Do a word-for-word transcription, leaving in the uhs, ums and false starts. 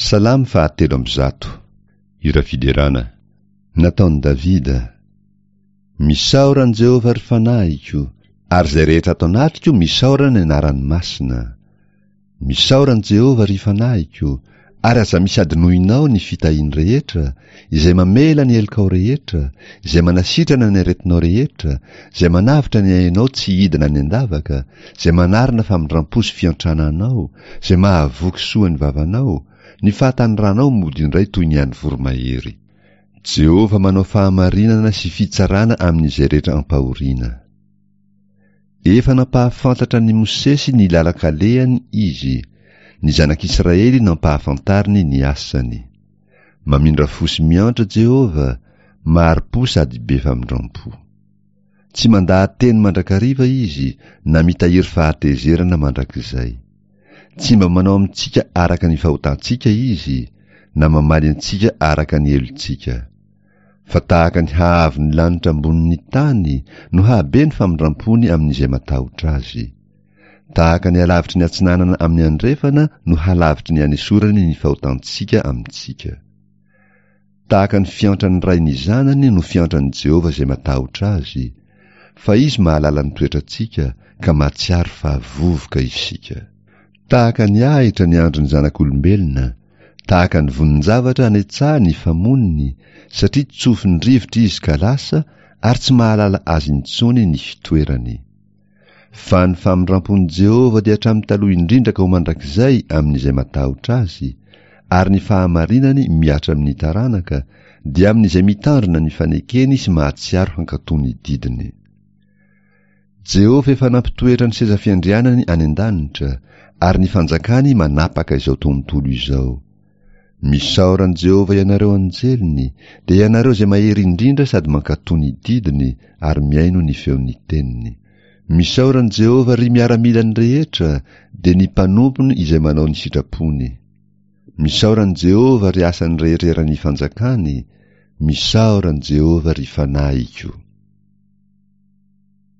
Salamo fahatelo amby zato. Hira fiderana. Nataon'i Davida. Misaora an'i Jehovah, ry fanahiko, ary izay rehetra ato anatiko misaora ny anarany masina. Misaora an'i Jehovah, ry fanahiko, ary aza misy adinoinao ny fitahiany rehetra, izay mamela ny helokao rehetra, izay manasitrana ny aretinao rehetra, izay manavotra ny ainao tsy hidina any an-davaka, izay manarina famindram-po sy fiantrana anao, izay mahavoky soa ny vavanao, ny fahatanoranao mody indray toy ny an'ny voromahery. Jehovah manao fahamarinana sy fitsarana amin'izay rehetra ampahoriana. Efa nampahafantatra an'i Mosesy ny lalan-kalehany izy, ny zanak'Israely nampahafantariny ny asany. Mamindra fo sy miantra Jehovah, mahari-po sady be famindram-po. Tsy mandaha-teny mandrakariva izy na mitahiry fahatezerana mandrakizay. Tsy mba manao amintsika araka ny fahotantsika izy, na mamaly antsika araka ny helotsika. Fa tahaka ny haavon'ny lanitra ambonin'ny tany no hahabe ny famindram-pony amin'izay matahotra azy. Tahaka ny halavitry ny atsinanana amin'ny andrefana no halavitry ny anesorany ny fahotantsika amintsika. Tahaka ny fiantran'ny ray ny zanany no fiantran'i Jehovah izay matahotra azy, fa izy mahalala ny toetrantsika ka mahatsiaro fa vovoka isika. Tahaka ny ahitra ny andron'ny zanak'olombelona, tahaka ny vonin-javatra any an-tsaha ny famonony, satria tsofin'ny rivotra izy ka lasa ary tsy mahalala azy intsony ny fitoerany. Fa ny famindram-pon'i Jehovah dia hatramin'ny taloha indrindra ka ho mandrakizay amin'izay matahotra azy, ary ny fahamarinany mihatra amin'ny taranaka, dia amin'izay mitandrina ny fanekeny sy mahatsiaro hankatò ny didiny. Jehovah efa nampitoetra ny seza fiandrianany any an-danitra, ary ny fanjakany manapaka izao tontolo izao. Misaora an'i Jehovah ianareo anjeliny, dia ianareo izay mahery indrindra sady mankatò ny didiny ary mihaino ny feon'ny teniny. Misaora an'i Jehovah, ry miaramilany rehetra, dia ny mpanompony izay manao ny sitrapony. Misaora an'i Jehovah, ry asany rehetra eran'ny fanjakany, misaora an'i Jehovah, ry fanahiko.